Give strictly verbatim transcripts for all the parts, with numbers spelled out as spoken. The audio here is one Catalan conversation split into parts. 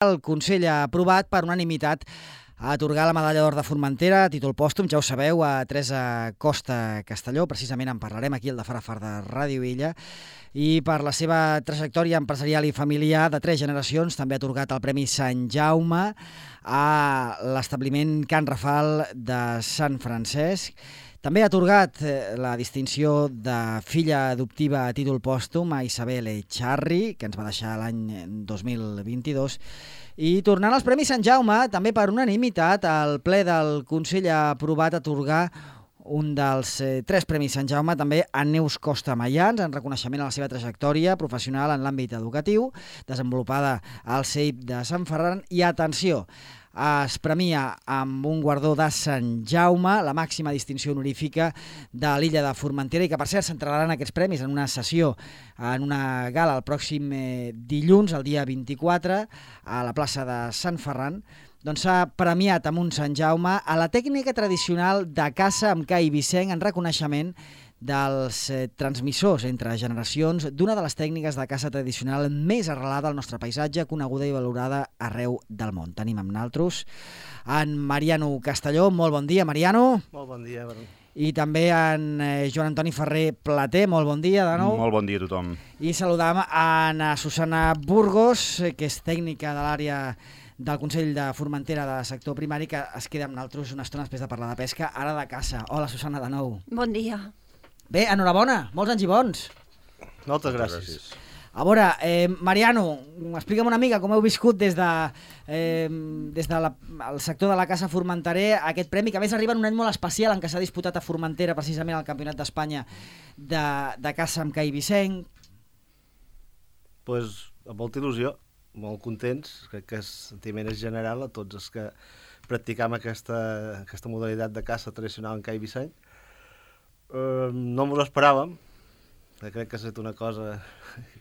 El Consell ha aprovat per unanimitat a atorgar la medalla d'or de Formentera a títol pòstum, ja ho sabeu, a Teresa Costa Castelló. Precisament en parlarem aquí al de Fara Far de Ràdio Illa. I per la seva trajectòria empresarial i familiar de tres generacions també ha atorgat el Premi Sant Jaume a l'establiment Can Rafal de Sant Francesc. També ha atorgat la distinció de filla adoptiva a títol pòstum a Isabel Echarri, que ens va deixar l'any dos mil vint-i-dos. I tornant als Premis Sant Jaume, també per unanimitat, el ple del Consell ha aprovat atorgar un dels eh, tres Premis Sant Jaume també a Neus Costa Mayans, en reconeixement a la seva trajectòria professional en l'àmbit educatiu, desenvolupada al C E I P de Sant Ferran. I atenció, es premia amb un guardó de Sant Jaume, la màxima distinció honorífica de l'illa de Formentera, i que per cert s'entregaran aquests premis en una sessió, en una gala el pròxim eh, dilluns, el dia vint-i-quatre, a la plaça de Sant Ferran. Doncs s'ha premiat amb un Sant Jaume a la tècnica tradicional de caça amb ca i vicenc en reconeixement dels eh, transmissors entre generacions d'una de les tècniques de caça tradicional més arrelada al nostre paisatge, coneguda i valorada arreu del món. Tenim amb naltros en Mariano Castelló. Molt bon dia, Mariano. Molt bon dia. I també en eh, Joan Antoni Ferrer Plater. Molt bon dia de nou. Molt bon dia a tothom. I saludam en Susana Burgos, que és tècnica de l'àrea del Consell de Formentera de sector primari, que es queda amb naltros una estona després de parlar de pesca, ara de caça. Hola, Susana, de nou. Bon dia. Bé, enhorabona, molts anys i bons. Moltes gràcies. A veure, eh, Mariano, explica'm una mica com heu viscut des de, eh, des de la, el sector de la caça formenterer aquest premi, que a més arriba en un any molt especial en què s'ha disputat a Formentera precisament el Campionat d'Espanya de, de caça amb ca i vicenc. Doncs pues, amb molta il·lusió, molt contents, crec que el sentiment és general a tots els que practicam aquesta, aquesta modalitat de caça tradicional en ca i vicenc. Uh, no ens ho esperàvem, crec que ha estat una cosa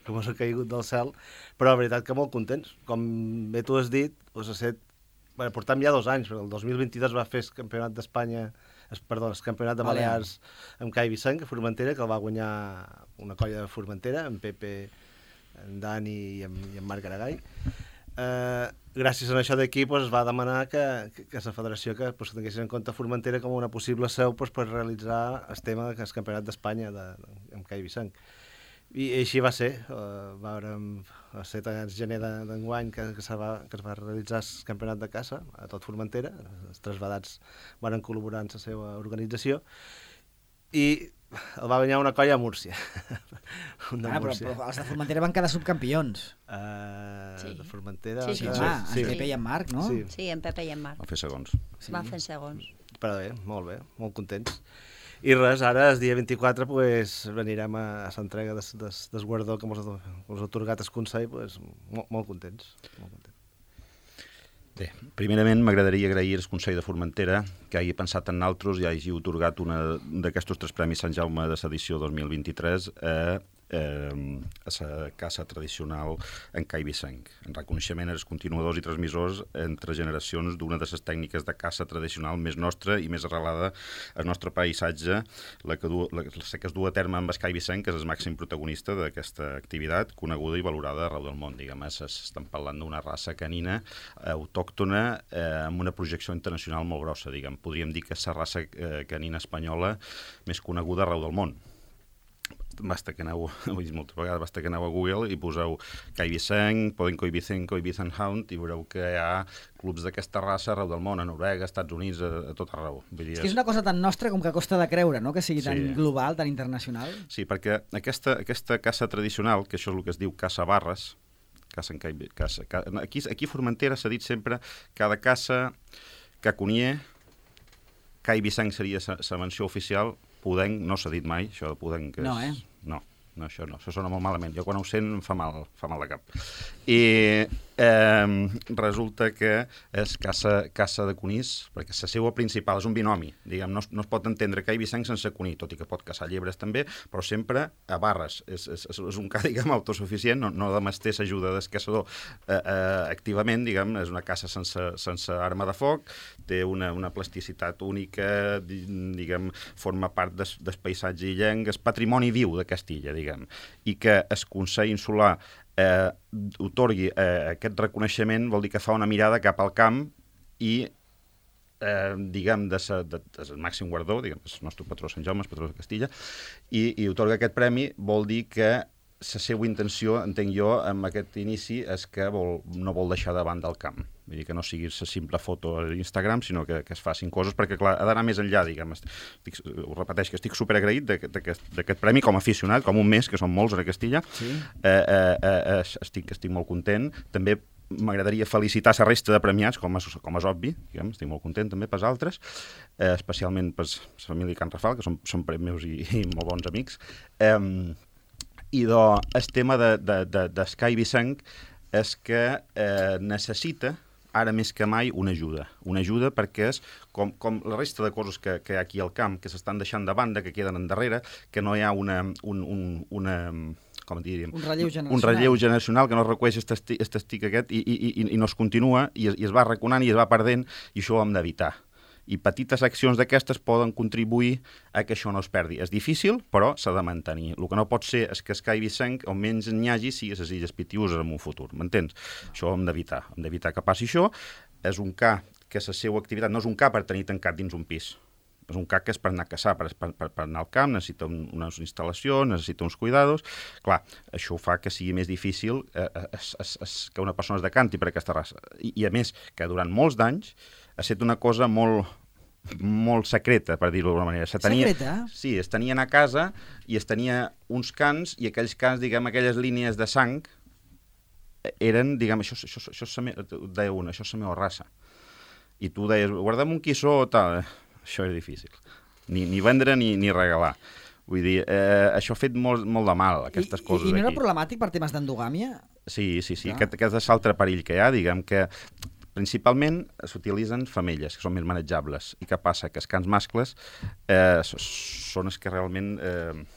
que ens ha caigut del cel, però la veritat que molt contents. Com bé tu has dit, us ha set, bueno, portam ja dos anys, el dos mil vint-i-dos va fer el Campionat d'Espanya, es, perdó, el Campionat de Balears amb ca i vicenc a Formentera, que el va guanyar una colla de Formentera, en Pepe, en Dani i en, i en Marc Aragall. Uh, gràcies a això d'aquí pues, es va demanar que, que, que la federació que pues, tinguessin en compte Formentera com una possible seu pues, per realitzar el tema del Campionat d'Espanya de, de, amb ca i vicenc. I, i així va ser. Uh, va haver el set de gener d'enguany que, que, va, que es va realitzar el Campionat de caça a tot Formentera. Els tres vedats van col·laborar en la seva organització i el va guanyar una colla a Múrcia. Una ah, Múrcia. Però, però els de Formentera van quedar subcampions. Uh, sí. De Formentera... Sí, sí, sí, sí. Ah, sí. en Pepe i en Marc, no? Sí, sí en Pepe i en Marc. Van fer segons. Sí. Van fer segons. Però bé, molt bé, molt contents. I res, ara, el dia vint-i-quatre, pues, anirem a, a l'entrega del des, des guardó que ens ha atorgat el Consell, pues, molt, molt contents. Molt contents. Bé, primerament m'agradaria agrair al Consell de Formentera que hagi pensat en nosaltres i hagi atorgat un d'aquests tres Premis Sant Jaume de l'edició dos mil vint-i-tres a, eh, a la caça tradicional en ca i vicenc, en reconeixement als continuadors i transmissors entre generacions d'una de les tècniques de caça tradicional més nostra i més arrelada al nostre paisatge, la que, du, la, la que es du a terme amb el ca i vicenc, que és el màxim protagonista d'aquesta activitat, coneguda i valorada arreu del món. Diguem, estem parlant d'una raça canina autòctona eh, amb una projecció internacional molt grossa. Diguem. Podríem dir que és la raça eh, canina espanyola més coneguda arreu del món. Basta que aneu, ho he dit moltes vegades, basta que aneu a Google i poseu ca i vicenc, Podenco i Vicenco i Vicent Hound i veureu que hi ha clubs d'aquesta raça arreu del món, a Noruega, Estats Units, a, a tot arreu. Vull dir, és que és una cosa tan nostra com que costa de creure, no?, que sigui tan sí. global, tan internacional. Sí, perquè aquesta, aquesta caça tradicional, que això és el que es diu caça barres, caça en ca, caça, ca, aquí, aquí a Formentera s'ha dit sempre cada caça caconier, ca i vicenc seria la menció oficial, Podenc no s'ha dit mai, això de Podenc és... No, eh? No, no, això no, això sona molt malament. Jo quan ho sent em fa mal, fa mal de cap. I eh, resulta que és caça, caça de conills, perquè la seva principal és un binomi, diguem, no, no es pot entendre ca i vicenc sense conill, tot i que pot caçar llebres també, però sempre a barres. És, és, és un ca, diguem, autosuficient, no, no demés té l'ajuda del caçador eh, eh, activament, diguem, és una caça sense, sense arma de foc, té una, una plasticitat única, diguem, forma part des, del paisatge illenc, és patrimoni viu de Castilla, diguem, i que el Consell Insular eh, otorgui eh, aquest reconeixement vol dir que fa una mirada cap al camp i Eh, diguem, de, sa, de, de, de màxim guardó, diguem, és el nostre patró Sant Jaume, el patró de Castilla, i, i otorga aquest premi vol dir que la seva intenció, entenc jo, amb aquest inici, és que vol, no vol deixar de banda el camp. Vull dir que no sigui la simple foto a Instagram, sinó que, que es facin coses, perquè, clar, ha d'anar més enllà, diguem. Estic, ho repeteix, que estic superagraït d'aquest premi com a aficionat, com un mes, que són molts a Castilla. Sí. Eh, eh, eh, estic, estic molt content. També m'agradaria felicitar la resta de premiats, com és, com és obvi, diguem, estic molt content també pels altres, eh, especialment per la família Can Rafal, que són, són meus i, i molt bons amics. Eh, I do, el tema de, de, de, de Sky Vicenc és que eh, necessita, ara més que mai, una ajuda. Una ajuda perquè és com, com la resta de coses que, que hi ha aquí al camp, que s'estan deixant de banda, que queden endarrere, que no hi ha una... Un, un, una com diríem, un relleu generacional, un relleu generacional que no recueix aquest estic aquest i, i, i, i no es continua i es, i es va reconant i es va perdent i això ho hem d'evitar. I petites accions d'aquestes poden contribuir a que això no es perdi. És difícil, però s'ha de mantenir. El que no pot ser és que Sky Vicenc, on menys n'hi hagi, sigui a les Illes Pitiüses en un futur. M'entens? Això ho hem d'evitar. Hem d'evitar que passi això. És un ca que la seva activitat no és un ca per tenir tancat dins un pis. És un C A C que és per anar a caçar, per, per, per anar al camp, necessita un, unes instal·lacions, necessita uns cuidados. Clar, això fa que sigui més difícil eh, es, es, es, que una persona es decanti per aquesta raça. I, I a més, que durant molts d'anys ha estat una cosa molt, molt secreta, per dir-ho d'alguna manera. Se tenia, secreta? Sí, es tenien a casa i es tenia uns cants i aquells cants, diguem, aquelles línies de sang eren, diguem, això, això, això, això me, deia una, això és la meva raça. I tu deies, guardem un quissó o tal... Això és difícil. Ni, ni vendre ni, ni regalar. Vull dir, eh, això ha fet molt, molt de mal, aquestes I, coses I no era aquí. problemàtic per temes d'endogàmia? Sí, sí, sí. Clar. Aquest, aquest és l'altre perill que hi ha, diguem que principalment s'utilitzen femelles, que són més manejables. I què passa? Que els cans mascles eh, són els que realment... Eh,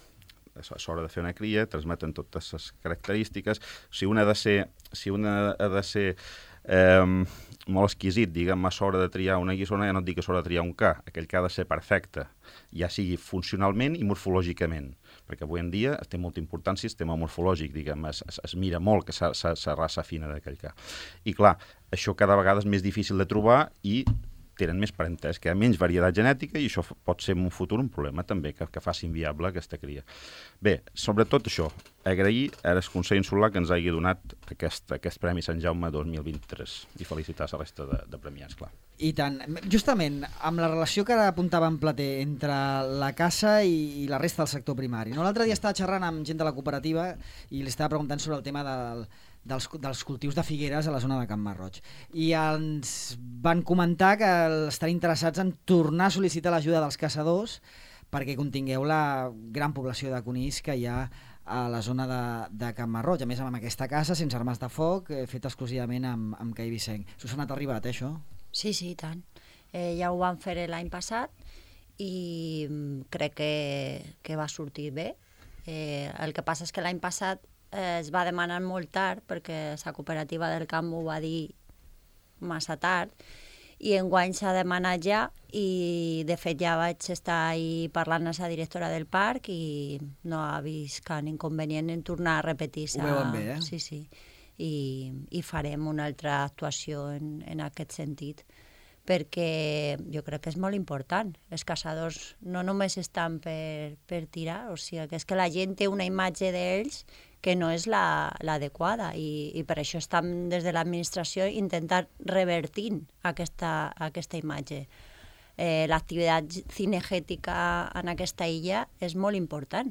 a l'hora de fer una cria, transmeten totes les característiques. Si una ha de ser, si una ha de ser eh, molt exquisit, diguem, a l'hora de triar una guissona, ja no et dic que s'hora de triar un ca, aquell que ha de ser perfecte, ja sigui funcionalment i morfològicament, perquè avui en dia té molta importància el tema morfològic, diguem, es, es, es mira molt que la raça fina d'aquell ca. I clar, això cada vegada és més difícil de trobar i tenen més parentesc, que hi ha menys varietat genètica i això pot ser en un futur un problema també, que, que faci inviable aquesta cria. Bé, sobretot això, agrair al Consell Insular que ens hagi donat aquest, aquest Premi Sant Jaume dos mil vint-i-tres i felicitar la resta de, de premiats, clar. I tant. Justament, amb la relació que ara apuntava en Plater entre la caça i, i la resta del sector primari. No? L'altre dia estava xerrant amb gent de la cooperativa i li estava preguntant sobre el tema del... Dels, dels cultius de figueres a la zona de Can Marroig. I ens van comentar que estan interessats en tornar a sol·licitar l'ajuda dels caçadors perquè contingueu la gran població de conills que hi ha a la zona de, de Can Marroig. A més, amb aquesta casa, sense armes de foc, eh, fet exclusivament amb, amb Cai Vicenc. Us ha anat arribat, eh, això? Sí, sí, i tant. Eh, ja ho vam fer l'any passat i crec que, que va sortir bé. Eh, el que passa és que l'any passat es va demanar molt tard perquè la cooperativa del camp ho va dir massa tard i enguany s'ha demanat ja i de fet ja vaig estar ahí parlant amb la directora del parc i no ha vist cap inconvenient en tornar a repetir. Ho veuen bé, eh? Sí, sí. I, i farem una altra actuació en, en aquest sentit perquè jo crec que és molt important. Els caçadors no només estan per, per tirar, o sigui, que és que la gent té una imatge d'ells que no és l'adequada la, i, i per això estem des de l'administració intentant revertir aquesta, aquesta imatge. Eh, L'activitat cinegètica en aquesta illa és molt important.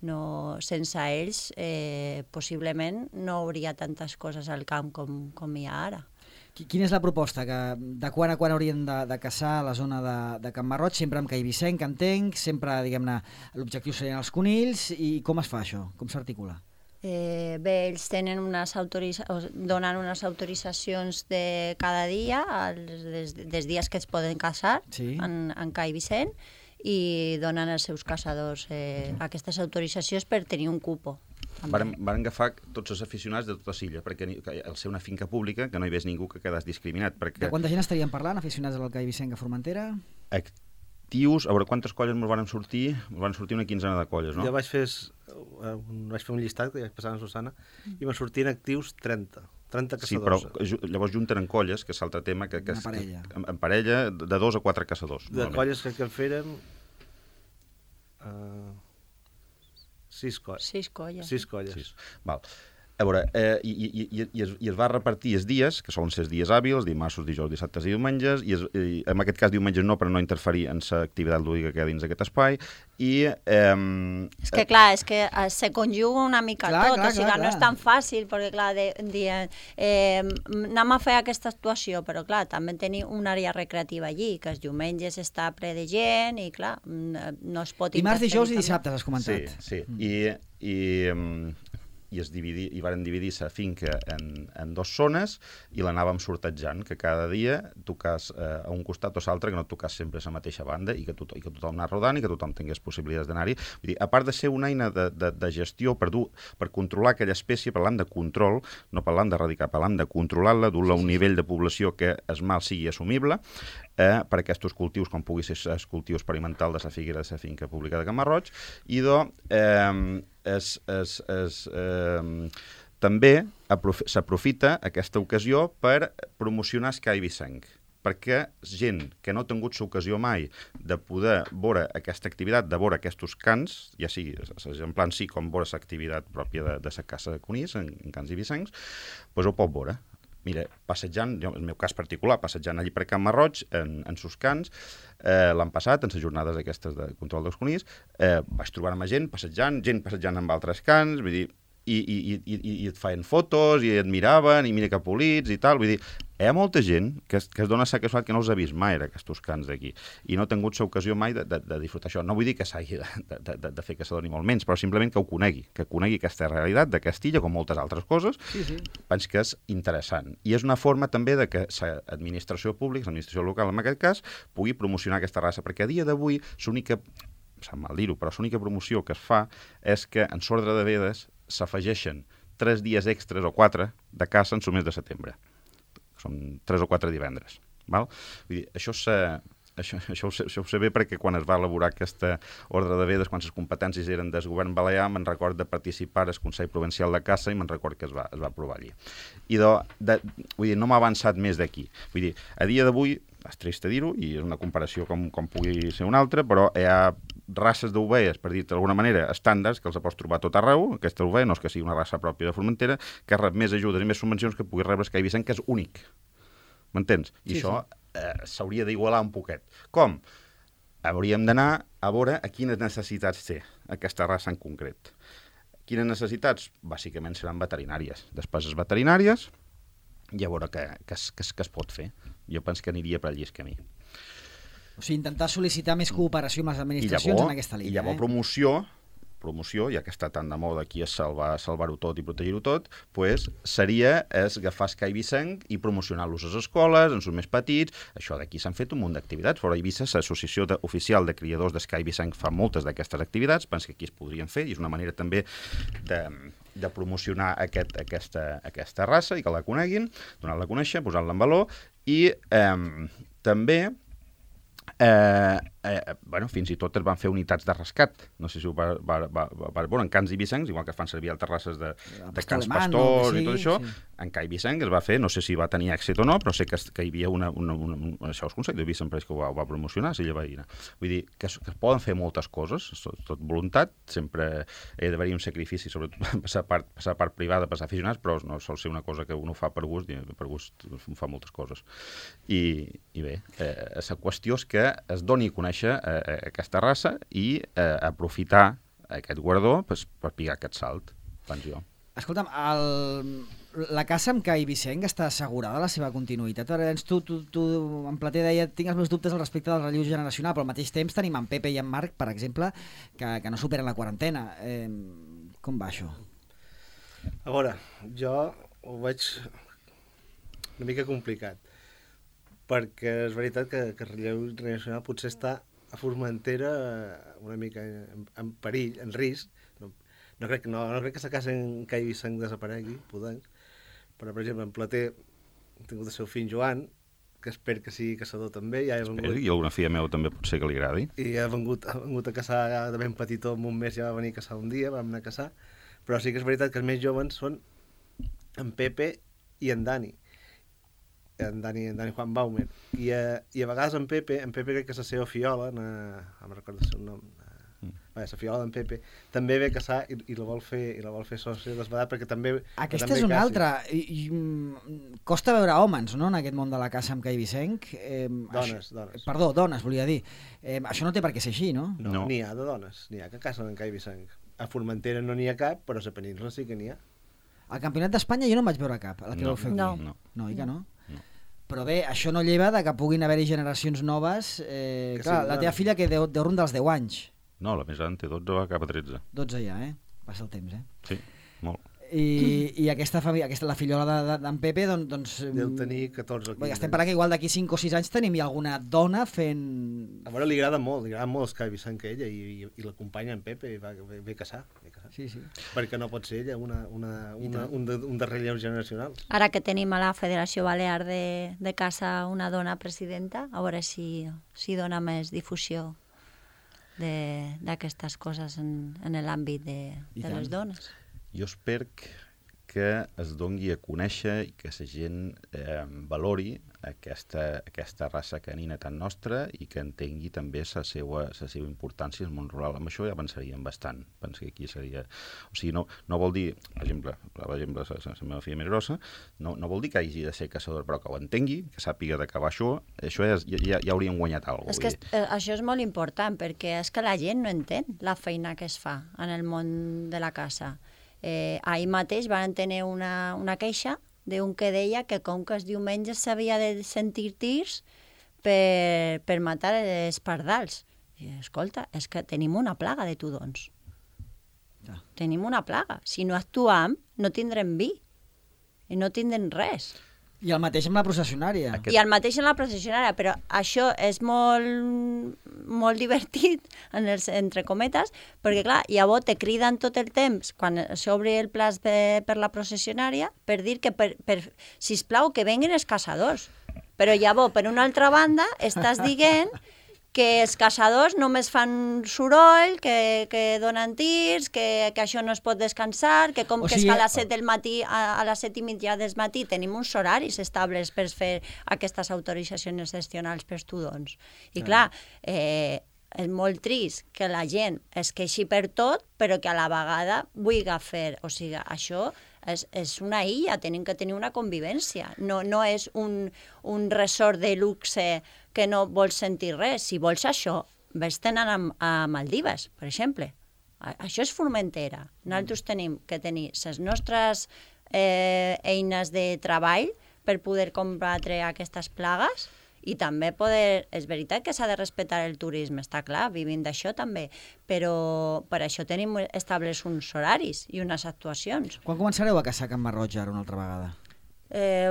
No, sense ells, eh, possiblement, no hauria tantes coses al camp com, com hi ha ara. Quina és la proposta? Que de quan a quan haurien de, de caçar a la zona de, de Can Marroig, sempre amb Cai Vicenc, entenc, sempre, diguem-ne, l'objectiu serien els conills, i com es fa això? Com s'articula? Eh, bé, ells tenen unes autoritza... donen unes autoritzacions de cada dia, els, des, des dies que es poden caçar sí. en, en Cai Vicent, i donen als seus caçadors eh, aquestes autoritzacions per tenir un cupo. Varen, varen agafar tots els aficionats de tota l'illa, perquè al ser una finca pública que no hi ves ningú que quedés discriminat. Perquè... De quanta gent estaríem parlant, aficionats al Cai Vicenc a Formentera? actius, a veure, quantes colles ens van sortir? Ens van sortir una quinzena de colles, no? Jo vaig fer, vaig fer un llistat, que ja vaig passar a Susana, i van sortir en actius trenta. trenta caçadors. Sí, però llavors junten en colles, que és l'altre tema, que, que, Una parella. que en, en parella de dos a quatre caçadors. De colles que, que en fèrem... Uh, sis colles. Sis colles. Sis colles. Sis. Val. A veure, eh, i, i, i, i, es, i es va repartir els dies, que solen ser els dies hàbils, dimarts, dijous, dissabtes i diumenges, i, es, i en aquest cas diumenges no, per no interferir en l'activitat lúdica que hi ha dins aquest espai, i... Eh, és que clar, és que eh, se conjuga una mica clar, tot, clar, o sigui, clar, no clar. és tan fàcil, perquè clar, de, dient, eh, anem a fer aquesta actuació, però clar, també tenim una àrea recreativa allí, que els diumenges està ple de gent, i clar, no es pot... Dimarts, dijous i també. dissabtes, has comentat. Sí, sí. Mm. I, i, i es dividi, i varen dividir la finca en, en dues zones i l'anàvem sortejant, que cada dia tocàs eh, a un costat o l'altre, que no tocàs sempre a la mateixa banda i que, tot, i que tothom anés rodant i que tothom tingués possibilitats d'anar-hi. Vull dir, a part de ser una eina de, de, de gestió per, dur, per controlar aquella espècie, parlant de control, no parlant d'erradicar, parlant de controlar-la, dur-la a un nivell de població que el mal sigui assumible, eh, per aquests cultius, com pugui ser el cultiu experimental de la figuera de la finca pública de Camarroig, i de... Eh, Es, es, es, eh, també s'aprofita aquesta ocasió per promocionar Sky Vicenc, perquè gent que no ha tingut l'ocasió mai de poder veure aquesta activitat, de veure aquests cants, ja sigui en plan sí, com veure l'activitat pròpia de, de la Casa de Conís, en, en Cants i Vicencs, doncs ho pot veure. Mira, passejant, jo, en el meu cas particular, passejant allí per Can Marroig, en, en sus cants, eh, l'han passat, en les jornades aquestes de control dels conills, eh, vaig trobar-me gent passejant, gent passejant amb altres cants, vull dir, i, i, i, i, i et feien fotos, i et miraven, i mira que polits, i tal, vull dir, hi ha molta gent que, que es dona la casualitat que no els ha vist mai, aquests cants d'aquí, i no ha tingut l'ocasió mai de, de, de disfrutar això. No vull dir que s'hagi de, de, de, de fer caçador ni molt menys, però simplement que ho conegui, que conegui aquesta realitat de Castilla, com moltes altres coses, sí, sí. Penso que és interessant. I és una forma també de que l'administració pública, l'administració local en aquest cas, pugui promocionar aquesta raça, perquè a dia d'avui l'única, sap mal dir-ho, però l'única promoció que es fa és que en l'ordre de vedes s'afegeixen tres dies extres o quatre de caça en el mes de setembre. Són tres o quatre divendres. Val? Vull dir, això, això, això, ho sé, això ho sé bé perquè quan es va elaborar aquesta ordre de vedes, quan les competències eren del govern balear, me'n record de participar al Consell Provincial de Caça i me'n record que es va, es va aprovar allí. I de, de, vull dir, no m'ha avançat més d'aquí. Vull dir, a dia d'avui, és trist dir-ho, i és una comparació com, com pugui ser una altra, però hi ha races d'ovelles, per dir d'alguna manera, estàndards, que els pots trobar a tot arreu. Aquesta ovella no és que sigui una raça pròpia de Formentera, que rep més ajudes i més subvencions que pugui rebre Sky Vicenc, que és únic. M'entens? I sí, això eh, s'hauria d'igualar un poquet. Com? Hauríem d'anar a veure a quines necessitats té aquesta raça en concret. Quines necessitats? Bàsicament seran veterinàries. Despeses veterinàries i a veure què, què, es, què, es, què es pot fer. Jo penso que aniria per allí el camí. O sigui, intentar sol·licitar més cooperació amb les administracions llavors, en aquesta línia. I llavors eh? promoció, promoció, ja que està tan de moda aquí a salvar, salvar-ho tot i protegir-ho tot, pues, seria és agafar Sky Vicenc i promocionar-los a les escoles, en els més petits. Això d'aquí s'han fet un munt d'activitats. Fora Eivissa, l'associació de, oficial de criadors de Sky Vicenc fa moltes d'aquestes activitats, penso que aquí es podrien fer, i és una manera també de, de promocionar aquest, aquesta, aquesta raça i que la coneguin, donar-la a conèixer, posar-la en valor, i eh, també Eh, eh, bueno, fins i tot es van fer unitats de rescat. No sé si ho va, va, va, va veure en Cants i Vicencs, igual que es fan servir altres races de, de Cants Pastors i tot això. Sí. En Cai Vicenc es va fer, no sé si va tenir èxit o no, però sé que, que hi havia una... una, una, una això és Consell de Vicent que ho va, ho va promocionar, si va dir. Vull dir, que es, que es poden fer moltes coses, tot, tot voluntat, sempre hi d'haver-hi un sacrifici, sobretot passar part, passar part privada, passar aficionats, però no sol ser una cosa que uno fa per gust, i per gust fa moltes coses. I, i bé, eh, la qüestió és que es doni a conèixer eh, aquesta raça i eh, aprofitar aquest guardó per, per picar aquest salt, penso jo. Escolta'm, el, la caça amb Cai Vicenc està assegurada la seva continuïtat? Tu, tu, tu en Plater deia, tinc els meus dubtes al respecte del relleu generacional, però al mateix temps tenim en Pepe i en Marc, per exemple, que, que no superen la quarantena. Eh, com va això? A veure, jo ho veig una mica complicat, perquè és veritat que, que el relleu generacional potser està a Formentera una mica en, en perill, en risc. No, no, crec, no, no crec que la casa en Cai Vicenc desaparegui, podenc, però per exemple en Plater ha tingut el seu fill Joan, que espero que sigui caçador també. Ja he Espero, vengut, i alguna filla meva també pot ser que li agradi. I ha vengut, ha vengut a caçar de ben petitó, en un mes ja va venir a caçar un dia, vam anar a caçar, però sí que és veritat que els més joves són en Pepe i en Dani. En Dani, en Dani Juan Baumer. I a, i a vegades en Pepe, en Pepe crec que és la seva fiola, no em recordo el seu nom, la fiola d'en Pepe, també ve a caçar i, i la vol fer i la vol fer sòcia desbadat perquè també... Aquesta també és una caci. altra. I, i, costa veure homes, no?, en aquest món de la caça amb Cai Vicenc. Eh, dones, això, dones. Perdó, dones, volia dir. Eh, això no té per què ser així, no? No, No. n'hi ha de dones, n'hi ha que cacen en Cai Vicenc. A Formentera no n'hi ha cap, però a la península sí que n'hi ha. Al Campionat d'Espanya jo no en vaig veure cap, la que No, vau fer aquí. no. No. No, i que no? No. Però bé, això no lleva de que puguin haver-hi generacions noves. Eh, Que clar, sí, la no. teva filla que deu, deu rondar els deu anys. No, la més gran té dotze, va cap a tretze. dotze ja, eh? Passa el temps, eh? Sí, molt. I, i aquesta, família, aquesta la fillola de- de- d'en Pepe, doncs... doncs Deu tenir catorze o Bé, quinze. estem parlant que igual d'aquí cinc o sis anys tenim ja alguna dona fent... A veure, li agrada molt, li agrada molt els Cai Vicenc que ella i, i, i l'acompanya en Pepe i va, ve, ve a caçar, ve a caçar. Sí, sí. Perquè no pot ser ella una, una, I una, tant. un, de, un de relleus generacionals. Ara que tenim a la Federació Balear de, de Caça una dona presidenta, a veure si, si dona més difusió de- d'aquestes coses en, en l'àmbit de, I de les tant. dones. Jo espero que es dongui a conèixer i que la gent eh, valori aquesta, aquesta raça canina tan nostra i que entengui també la seva, la seva importància al món rural. Amb això ja avançaríem bastant. Penso que aquí seria... O sigui, no, no vol dir, per exemple, per exemple la, la, la meva filla més grossa, no, no vol dir que hagi de ser caçador, però que ho entengui, que sàpiga d'acabar això, això ja, ja, ja hauríem guanyat alguna És cosa. que eh, això és molt important, perquè és que la gent no entén la feina que es fa en el món de la caça. Eh, ahir mateix van tenir una, una queixa d'un que deia que com que els diumenges s'havia de sentir tirs per, per matar els pardals. I, escolta, és que tenim una plaga de tudons. Ja. Tenim una plaga. Si no actuam, no tindrem vi. I no tindrem res. I el mateix amb la processionària. Aquest- I el mateix en la processionària, però això és molt, molt divertit, en els, entre cometes, perquè clar, llavors te criden tot el temps, quan s'obre el plaç de, per la processionària, per dir que, per, per, sisplau, que venguin els caçadors. Però llavors, per una altra banda, estàs dient que els caçadors només fan soroll, que, que donen tirs, que, que això no es pot descansar, que com O que sigui, és que a les set del matí, a, a les set i mitja del matí tenim uns horaris estables per fer aquestes autoritzacions excepcionals per tudons. I clar, eh, és molt trist que la gent es queixi per tot, però que a la vegada vulgui fer. O sigui, això és, és una illa, tenim que tenir una convivència. No, no és un, un resort de luxe que no vols sentir res. Si vols això, vés-te'n a, a Maldives, per exemple. A, això és Formentera. Nosaltres tenim que tenir les nostres eh, eines de treball per poder combatre aquestes plagues i també poder... És veritat que s'ha de respectar el turisme, està clar, vivim d'això també, però per això tenim establerts uns horaris i unes actuacions. Quan començareu a caçar a Can Marroig ara una altra vegada? Eh,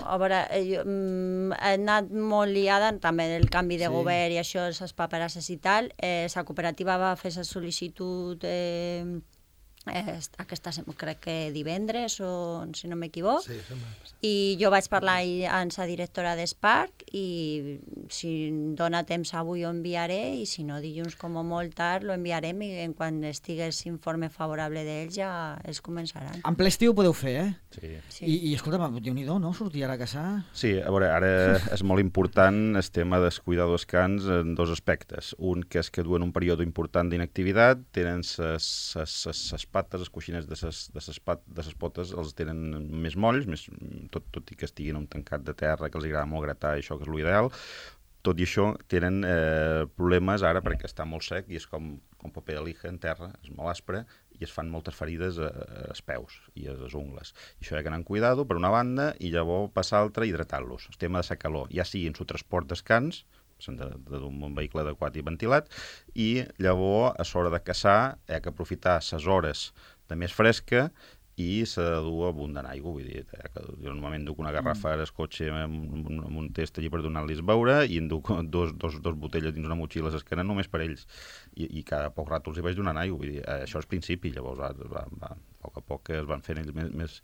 a veure, eh, jo, mm, he anat molt liada també del canvi de Sí. govern i això, les paperasses i tal. Eh, la cooperativa va fer la sol·licitud eh, eh, aquesta, sem- crec que divendres, o si no m'equivoc, Sí, això m'ha passat. i jo vaig parlar ahir amb la directora d'Esparc i si em dona temps avui ho enviaré i si no dilluns com a molt tard lo enviarem i en quan estigués informe favorable d'ells ja els començaran. En ple estiu ho podeu fer, eh? Sí. Sí. I, i escolta'm, Déu-n'hi-do, no? Sortir ara a caçar? Sí, a veure, ara és molt important el tema dels cuidadors cans en dos aspectes. Un, que és que duen un període important d'inactivitat, tenen les pates, els coixinets de ses, de ses, pat, de ses potes, els tenen més molls, més, tot, tot i que estiguin en un tancat de terra, que els agrada molt gratar, això que és l'ideal. Tot i això, tenen eh, problemes ara perquè està molt sec i és com, com paper de lija en terra, és molt aspre, i es fan moltes ferides a, als peus i a les ungles. I això hi ha que anar amb cuidado, per una banda, i llavors passar l'altra, hidratar-los. El tema de la calor, ja sigui en su transport descans, d'un vehicle adequat i ventilat, i llavors, a l'hora de caçar, hi ha que aprofitar les hores de més fresca i s'ha de dur abundant aigua, vull dir, eh, que jo normalment duc una garrafa al cotxe amb, amb un test allí per donar-los beure i em duc dos, dos, dos botelles dins una motxilla a l'esquena només per ells i, i cada poc rato els hi vaig donant aigua, vull dir, eh, això és principi, llavors va, va, va, a poc a poc es van fent ells més, més,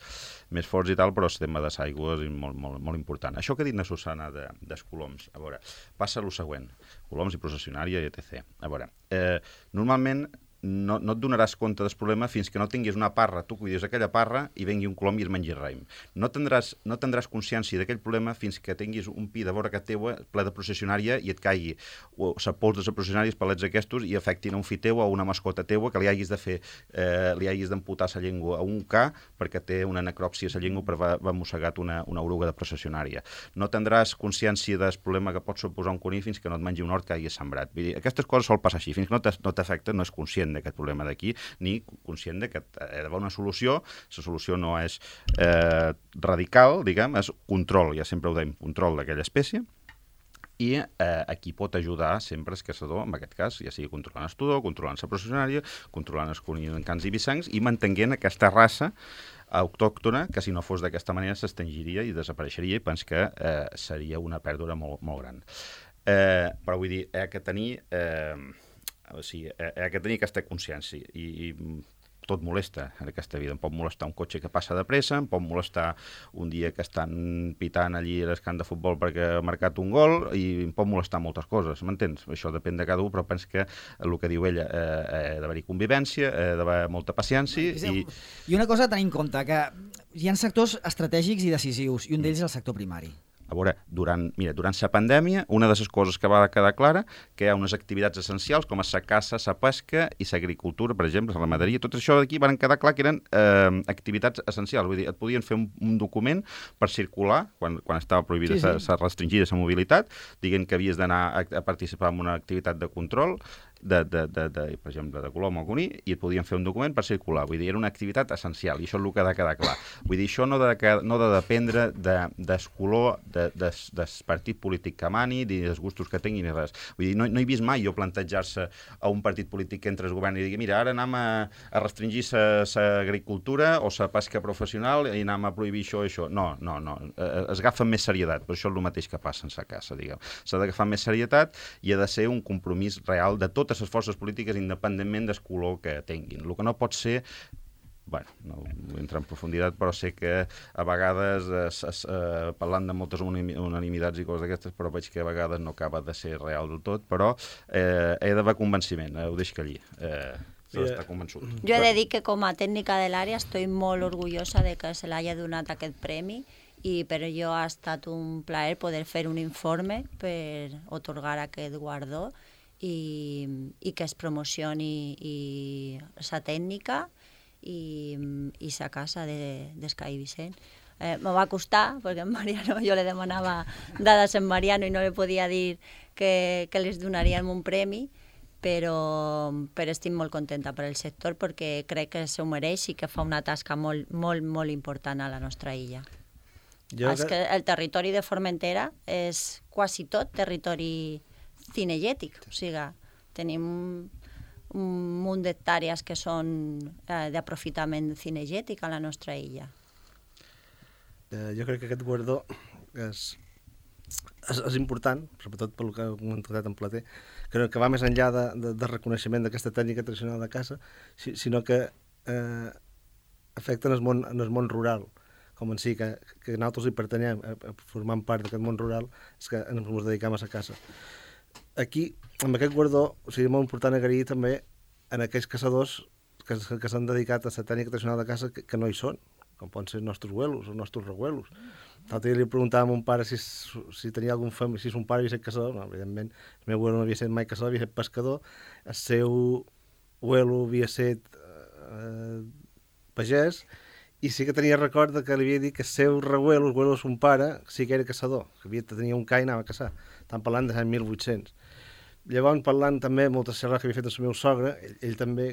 més forts i tal, però el tema de l'aigua és molt, molt, molt important. Això que ha dit na Susana de, dels coloms, a veure, passa el següent, coloms i processionària i etcètera. A veure, eh, normalment No, no et donaràs compte del problema fins que no tinguis una parra, tu cuidis aquella parra i vengui un colom i es mengi raïm. No tindràs, no tindràs consciència d'aquell problema fins que tinguis un pi de vora que teua ple de processionària i et caigui o la pols de la processionària, els palets aquests i afectin a un fill teu o a una mascota teua que li hagis de fer, eh, li hagis d'amputar la llengua a un ca perquè té una necròpsia a la llengua per haver mossegat una, una oruga de processionària. No tindràs consciència del problema que pot suposar un conill fins que no et mengi un hort que hagis sembrat. Vull dir, aquestes coses sol passar així. Fins que no t'afecta no és conscient d'aquest problema d'aquí, ni conscient de que ha d'haver una solució. La solució no és eh, radical, diguem, és control, ja sempre ho dèiem, control d'aquella espècie, i eh, aquí pot ajudar sempre el caçador, en aquest cas, ja sigui controlant el tudor, controlant la processionària, controlant els conills en cans i bissancs, i mantenint aquesta raça autòctona, que si no fos d'aquesta manera s'extingiria i desapareixeria, i penso que eh, seria una pèrdua molt, molt gran. Eh, però vull dir, hi ha que tenir... Eh, O sigui, hi ha que tenir aquesta consciència i, i tot molesta en aquesta vida. Em pot molestar un cotxe que passa de pressa, em pot molestar un dia que estan pitant allí a l'escamp de futbol perquè ha marcat un gol i em pot molestar moltes coses, m'entens? Això depèn de cada un, però penso que el que diu ella eh, ha d'haver-hi convivència, ha d'haver molta paciència. I... I una cosa a tenir en compte, que hi ha sectors estratègics i decisius, i un d'ells és el sector primari. A veure, durant, mira, durant la pandèmia, una de les coses que va quedar clara que hi ha unes activitats essencials com la caça, la pesca i l'agricultura, per exemple, la ramaderia, tot això d'aquí van quedar clar que eren eh, activitats essencials. Vull dir, et podien fer un, un document per circular, quan, quan estava prohibida, sí, sí. restringida la mobilitat, dient que havies d'anar a, a participar en una activitat de control, de, de, de, de, per exemple, de colom o conill, i et podien fer un document per circular. Vull dir, era una activitat essencial, i això és el que ha de quedar clar. Vull dir, això no ha de, no de dependre de, del color de, de, del partit polític que mani, ni dels gustos que tingui, ni res. Vull dir, no, no he vist mai jo plantejar-se a un partit polític que entra al govern i digui, mira, ara anem a, a restringir l'agricultura o la pesca professional i anem a prohibir això i això. No, no, no. Es agafa amb més serietat, però això és el mateix que passa en sa casa, diguem. S'ha d'agafar més serietat i ha de ser un compromís real de tot totes les forces polítiques independentment del color que tinguin. El que no pot ser, bueno, no entra en profunditat, però sé que a vegades, es, es, eh, parlant de moltes unanimitats i coses d'aquestes, però veig que a vegades no acaba de ser real del tot, però eh, he d'haver convenciment, eh, ho deixo allí. Eh, Està convençut. Jo he de dir que com a tècnica de l'àrea estic molt orgullosa de que se l'hagi donat aquest premi i per jo ha estat un plaer poder fer un informe per otorgar aquest guardó i, i que es promocioni la tècnica i, i sa casa de, d'Escai Vicent. Eh, me va costar, perquè en Mariano, jo li demanava dades en Mariano i no li podia dir que, que les donaríem un premi, però, però estic molt contenta per el sector perquè crec que s'ho mereix i que fa una tasca molt, molt, molt important a la nostra illa. Jo és que el territori de Formentera és quasi tot territori cinegètic, o sigui, tenim un munt d'hectàrees que són eh, d'aprofitament cinegètic a la nostra illa. Eh, jo crec que aquest guardó és, és, és important, sobretot pel que ha comentat en Plater, que, que va més enllà de, de, de reconeixement d'aquesta tècnica tradicional de caça, si, sinó que eh, afecten el món, en el món rural, com en si que, que nosaltres hi pertanyem, a, a formant part d'aquest món rural, és que ens dediquem a la caça. Aquí, amb aquest guardó, o sigui, molt important agrair també en aquells caçadors que, que s'han dedicat a la tècnica tradicional de caça que, que no hi són, com poden ser els nostres abuelos, els nostres rebuelos. L'altre dia li preguntava a mon pare si, si tenia algun fam... si son pare havia estat caçador. No, evidentment, el meu abuelo no havia estat mai caçador, havia estat pescador. El seu abuelo havia estat eh, pagès, i sí que tenia record que li havia dit que el seu rebuelo, el abuelo de son pare, sí que era caçador, que havia, tenia un ca i anava a caçar. Estan parlant de l'any mil vuit-cents. Llavors, parlant també moltes xerrades que havia fet el meu sogre, ell, ell també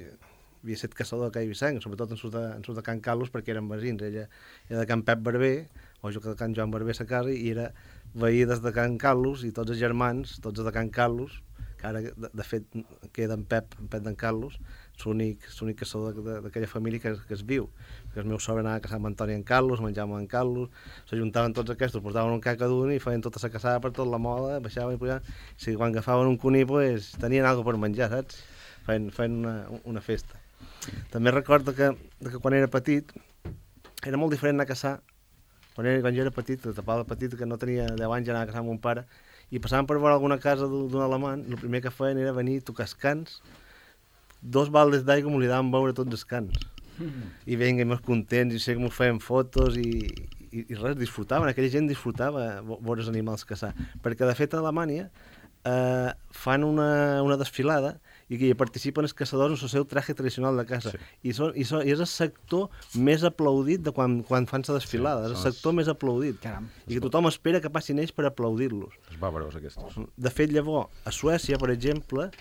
havia estat caçador a Cai Vicent, sobretot en surt de, en surt de Can Carlos, perquè eren veïns. Ella era de Can Pep Barber, o jo que de Can Joan Barber a casa, i era veí des de Can Carlos, i tots els germans, tots de Can Carlos, ara de, de fet queda en Pep, en Pep d'en Carlos, l'únic caçador d'aquella família que, que es viu, que el meu sogre anava a caçar amb Antoni en Carlos, menjàvem en Carlos, s'ajuntaven tots aquests, portaven un cac a d'un i feien tota la caçada per tot la moda, baixaven i pujaven, i si quan agafaven un cuní pues, tenien alguna per menjar, saps? Feien, feien una, una festa. També recordo que, que quan era petit era molt diferent anar a caçar. Quan, era, quan jo era petit, tapava petit, que no tenia deu anys, ja anava a caçar amb mon pare, i passàvem per veure alguna casa d'un alemany, el primer que feien era venir a tocar els cans, dos baldes d'aigua m'ho li daven veure tots els cans. Mm. I venien molt contents, i sé que m'ho feien fotos, i, i, i res, disfrutaven, aquella gent disfrutava veure els animals caçar. Perquè, de fet, a Alemanya eh, fan una, una desfilada i que hi participen els caçadors en el seu traje tradicional de caça. Sí. I, són, i, són, I és el sector més aplaudit de quan, quan fan la desfilada. Sí, és el sector els... més aplaudit. Caram. I que tothom espera que passin ells per aplaudir-los. Els bàvaros, aquests. De fet, llavors, a Suècia, per exemple,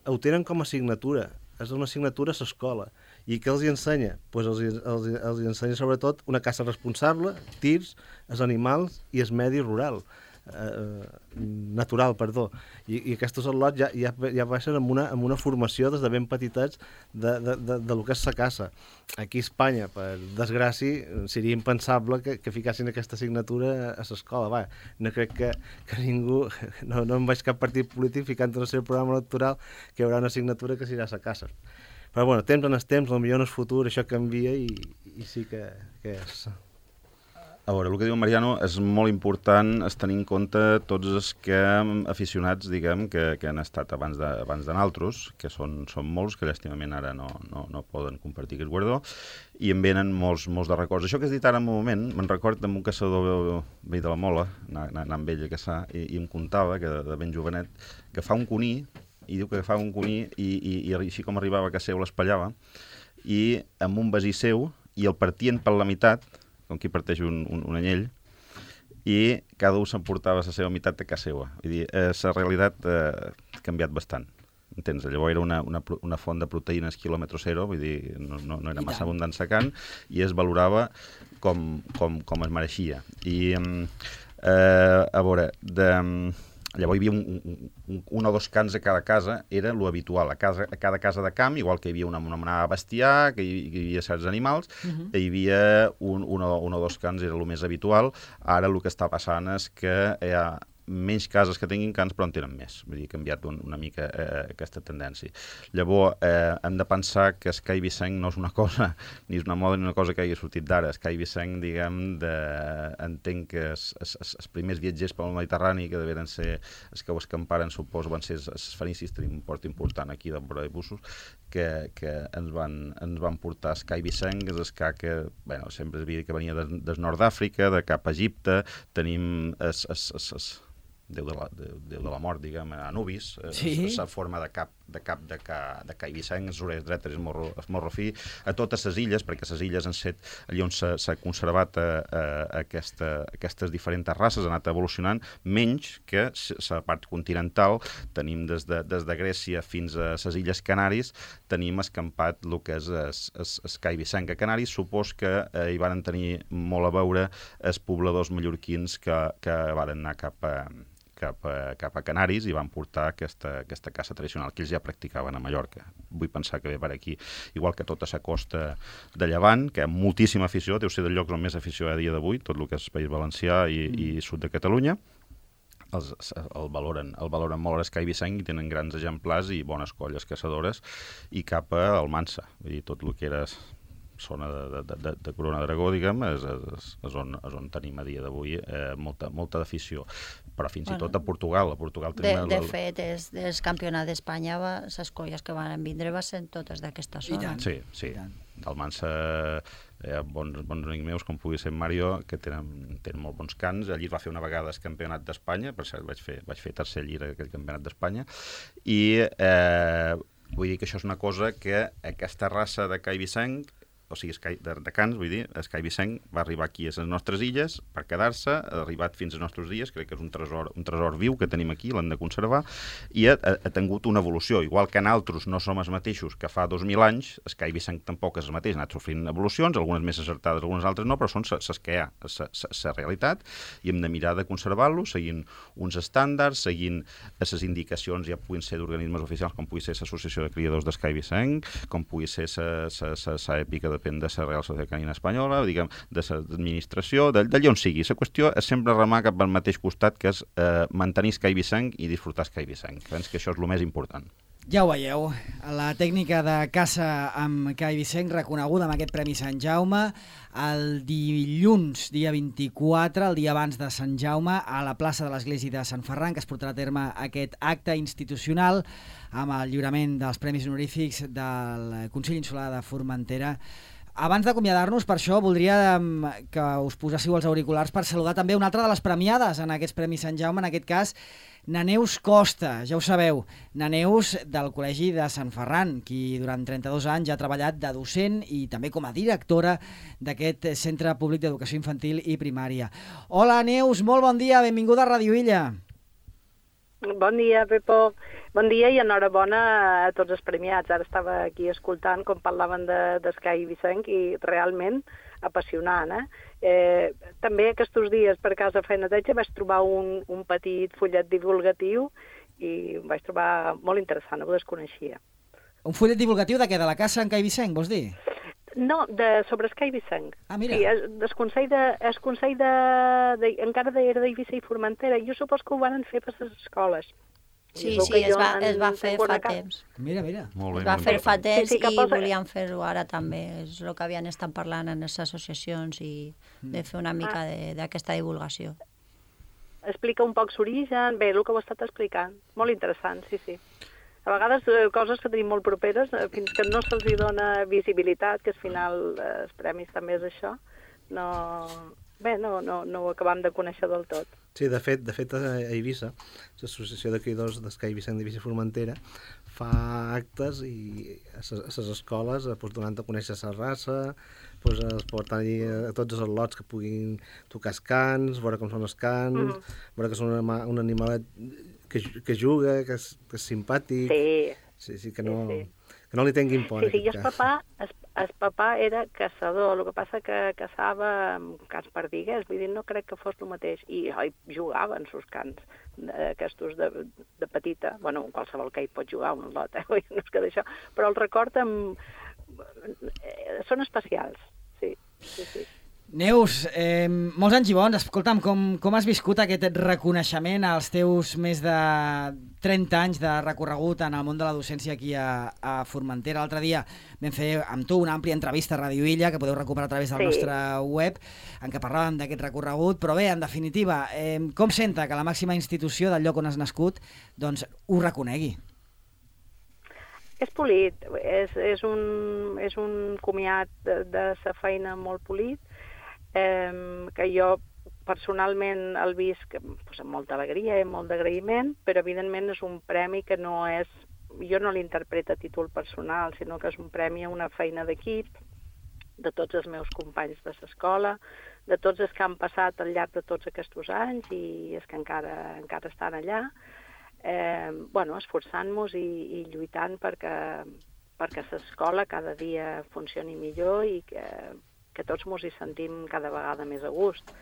ho tenen com a assignatura. És una assignatura a l'escola. I què els hi ensenya? Pues els, els, els hi ensenya sobretot una caça responsable, tirs, els animals i el medi rural. Eh, natural, perdó. I, i aquests al·lots ja, ja, ja baixen amb una, amb una formació des de ben petitets de, de, de, de lo que és la caça. Aquí a Espanya, per desgràcia, seria impensable que, que ficassin aquesta assignatura a l'escola. Va, no crec que, que ningú, no, no em vaig cap partit polític ficant en el seu programa electoral que hi haurà una assignatura que serà a la caça. Però bueno, temps en els temps, potser en el futur això canvia i, i sí que, que és... A veure, el que diu Mariano és molt important és tenir en compte tots els que aficionats, diguem, que, que han estat abans de, abans de naltros, que són, són molts, que llàstimament ara no, no, no poden compartir aquest guardó, i em venen molts, molts de records. Això que has dit ara en un moment, me'n record amb un caçador veí de la Mola, anant amb ell a caçar, i, i em contava, que de, de ben jovenet, que fa un cuní, i diu que fa un cuní, i, i, i així com arribava a casa seu l'espallava, i amb un basí seu, i el partien per la meitat, com qui parteix un, un, un anyell, i cada un s'emportava la seva meitat de casa seva. Vull dir, eh, la realitat eh, ha canviat bastant. Entens? Llavors era una, una, una font de proteïnes quilòmetre zero, vull dir, no, no, no era massa abundant secant, i es valorava com, com, com es mereixia. I, eh, a veure, de... Llavors hi havia un, un, un o dos cans a cada casa, era lo habitual. A, casa, a cada casa de camp, igual que hi havia una, una manada de bestiar, que hi, que hi havia certs animals, uh-huh. hi havia un, un, o, un o dos cans, era el més habitual. Ara el que està passant és que hi ha menys cases que tinguin cans, però en tenen més. Vull dir, ha canviat un, una mica eh, aquesta tendència. Llavors, eh, hem de pensar que Sky Vicent no és una cosa, ni és una moda ni una cosa que hagi sortit d'ara. Sky Vicent, diguem, de... entenc que els, els, els primers viatgers pel Mediterrani, que deveren ser els que ho escamparen, suposo, van ser els fenicis, tenim un port important aquí de vora de bussos, que, que ens, van, ens van portar Sky Vicent, que és el ca que, bueno, sempre es havia dit que venia del de nord d'Àfrica, de cap a Egipte, tenim es, es, es, es, Déu de, la, de, Déu de la mort, diguem, Anubis, sí. la forma de cap de cap de, ca, de Cai Vicent, les orelles dretes, el morro, el morro fi, a totes les illes, perquè les illes han set allà on s'ha conservat a, a, a aquesta, aquestes diferents races, han anat evolucionant, menys que la part continental, tenim des de, des de Grècia fins a les illes Canaris, tenim escampat el que és el Cai Vicent, que Canaris supos que eh, hi van tenir molt a veure els pobladors mallorquins que, que van anar cap a Cap a, cap a Canaris i van portar aquesta, aquesta caça tradicional que ells ja practicaven a Mallorca. Vull pensar que ve per aquí, igual que tota la costa de Llevant, que hi ha moltíssima afició, deu ser dels llocs on més afició a dia d'avui, tot el que és País Valencià i, mm. i sud de Catalunya. Els, el, valoren, el valoren molt a Sky Vicent i tenen grans exemplars i bones colles caçadores, i cap a Almansa, vull dir, tot el que era zona de, de, de, de Corona d'Aragó, diguem, és, és, és, on, és on tenim a dia d'avui eh, molta, molta d'afició. Però fins bueno, i tot a Portugal. A Portugal tenim de, el... de fet, és, és campionat d'Espanya, les colles que van vindre van ser totes d'aquesta zona. Sí, sí. D'Almansa hi ha bons, bons amics meus, com pugui ser Mario, que tenen, tenen molt bons cants. Allí es va fer una vegada el campionat d'Espanya, per cert, vaig fer, vaig fer tercer llire aquell campionat d'Espanya, i eh, vull dir que això és una cosa que aquesta raça de Cai Vicent o sigui, Sky, de, de Cans, vull dir, Sky Vicent va arribar aquí a les nostres illes per quedar-se, ha arribat fins als nostres dies, crec que és un tresor, un tresor viu que tenim aquí, l'hem de conservar, i ha, ha, ha tingut una evolució, igual que nosaltres no som els mateixos que fa dos mil anys, Sky Vicent tampoc és el mateix, ha anat sofrint evolucions, algunes més acertades, algunes altres no, però són les que hi ha, la realitat, i hem de mirar de conservar-lo, seguint uns estàndards, seguint les indicacions, ja puguin ser d'organismes oficials, com pugui ser l'Associació de Criadors de Sky Vicent, com pugui ser la èpica, depèn de la Real Societat Canina Espanyola, diguem, de l'administració, d'allà on sigui. La qüestió és sempre remar cap al mateix costat, que és eh, mantenir Sky Vicent i disfrutar Sky Vicent. Penso que això és el més important. Ja ho veieu, la tècnica de caça amb Cai Vicent, reconeguda amb aquest Premi Sant Jaume, el dilluns, dia vint-i-quatre, el dia abans de Sant Jaume, a la plaça de l'Església de Sant Ferran, que es portarà a terme aquest acte institucional amb el lliurament dels Premis Honorífics del Consell Insular de Formentera. Abans d'acomiadar-nos, per això, voldria que us poséssiu els auriculars per saludar també una altra de les premiades en aquests Premis Sant Jaume, en aquest cas, na Neus Costa, ja ho sabeu, na Neus del Col·legi de Sant Ferran, qui durant trenta-dos anys ha treballat de docent i també com a directora d'aquest Centre Públic d'Educació Infantil i Primària. Hola Neus, molt bon dia, benvinguda a Ràdio Illa. Bon dia, Pepo. Bon dia i enhorabona a tots els premiats. Ara estava aquí escoltant com parlaven de, de Sky Vicent i realment apassionant. Eh? Eh, també aquests dies per casa fent neteja vaig trobar un, un petit fullet divulgatiu i ho vaig trobar molt interessant, no ho desconeixia. Un fullet divulgatiu de què? De la casa en Cai Vicent, vols dir? No, de, sobre Sky Vicent. Ah, mira. Sí, es, es Consell de... Es Consell de, de encara era d'Eivissa i Formentera. Jo supos que ho van fer per les escoles. Sí, sí, es va, es va fer fa temps. Mira, mira. Molt bé, es va molt fer bé. fa temps Sí, sí, que i posa- volien fer-ho ara també. És el que havien estat parlant en les associacions i de fer una mica de- d'aquesta divulgació. Explica un poc l'origen, bé, el que ho he estat explicant. Molt interessant, sí, sí. A vegades eh, coses que tenim molt properes, eh, fins que no se'ls hi dona visibilitat, que al final eh, els premis també és això, no... Bé, no, no, no ho acabam de conèixer del tot. Sí, de fet, de fet a Eivissa, l'Associació de Criadors d'Escai Vicent d'Eivissa i Formentera fa actes i a les escoles pues, donant a conèixer la raça, pues, es porten allí a tots els lots que puguin tocar els cans, veure com són els cans, mm. veure que són un, anima, un animalet que, que juga, que és, que és simpàtic. Sí. Sí, sí, que no, Sí, sí. que no li tinguin por. Sí, sí, i en el aquest cas. papà, el, el papà era caçador, el que passa que caçava amb cans perdiguers, vull dir, no crec que fos el mateix, i oi, jugava en sus cans, aquests de, de petita, bueno, qualsevol que hi pot jugar un lot, eh? No és que d'això, però el record amb... són especials, sí, sí, sí. Neus, eh, molts anys i bons. Escolta'm, com, com has viscut aquest reconeixement als teus més de trenta anys de recorregut en el món de la docència aquí a, a Formentera? L'altre dia vam fer amb tu una àmplia entrevista a Ràdio Illa, que podeu recuperar a través del Sí. nostre web, en què parlàvem d'aquest recorregut, però bé, en definitiva, eh, com senta que la màxima institució del lloc on has nascut doncs, ho reconegui? És polit, és, és, un, és un comiat de, de sa feina molt polit, eh, que jo personalment el visc pues, amb molta alegria i molt d'agraïment, però evidentment és un premi que no és, jo no l'interpreto a títol personal, sinó que és un premi a una feina d'equip, de tots els meus companys de l'escola, de tots els que han passat al llarg de tots aquests anys i els que encara, encara estan allà, eh, bueno, esforçant-nos i, i lluitant perquè, perquè l'escola cada dia funcioni millor i que, que tots ens hi sentim cada vegada més a gust.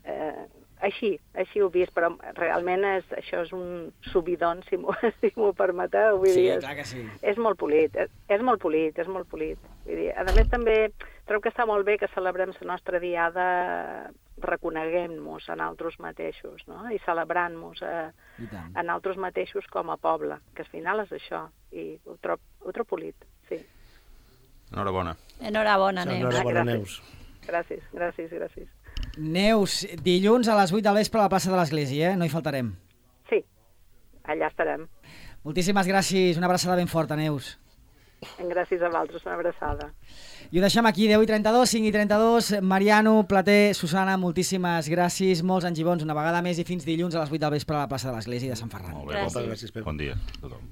Eh, així, així ho he vist, però realment és, això és un subidon, si m'ho si permeteu. Vull Sí, dir, és, clar que sí. és molt polit, és, és molt polit, és molt polit. Vull dir, a més també trobo que està molt bé que celebrem la nostra diada reconeguem-nos a nosaltres mateixos, no? I celebrant-nos a, I tant. a nosaltres mateixos com a poble, que al final és això, i ho trobo, ho trobo polit, sí. Enhorabona. Enhorabona, Sí, Neus. enhorabona, gràcies. Neus. Gràcies, gràcies, gràcies. Neus, dilluns a les vuit del vespre a la plaça de l'Església, eh? No hi faltarem. Sí, allà estarem. Moltíssimes gràcies, una abraçada ben forta, Neus. Gràcies a vosaltres, una abraçada. I ho deixem aquí, deu i trenta-dos, cinc i trenta-dos. Mariano, Plater, Susana, moltíssimes gràcies, molts anys i bons una vegada més i fins dilluns a les vuit del vespre a la plaça de l'Església de Sant Ferran. Molt bé, Gràcies. bon, Gràcies, Pep. bon dia a tothom.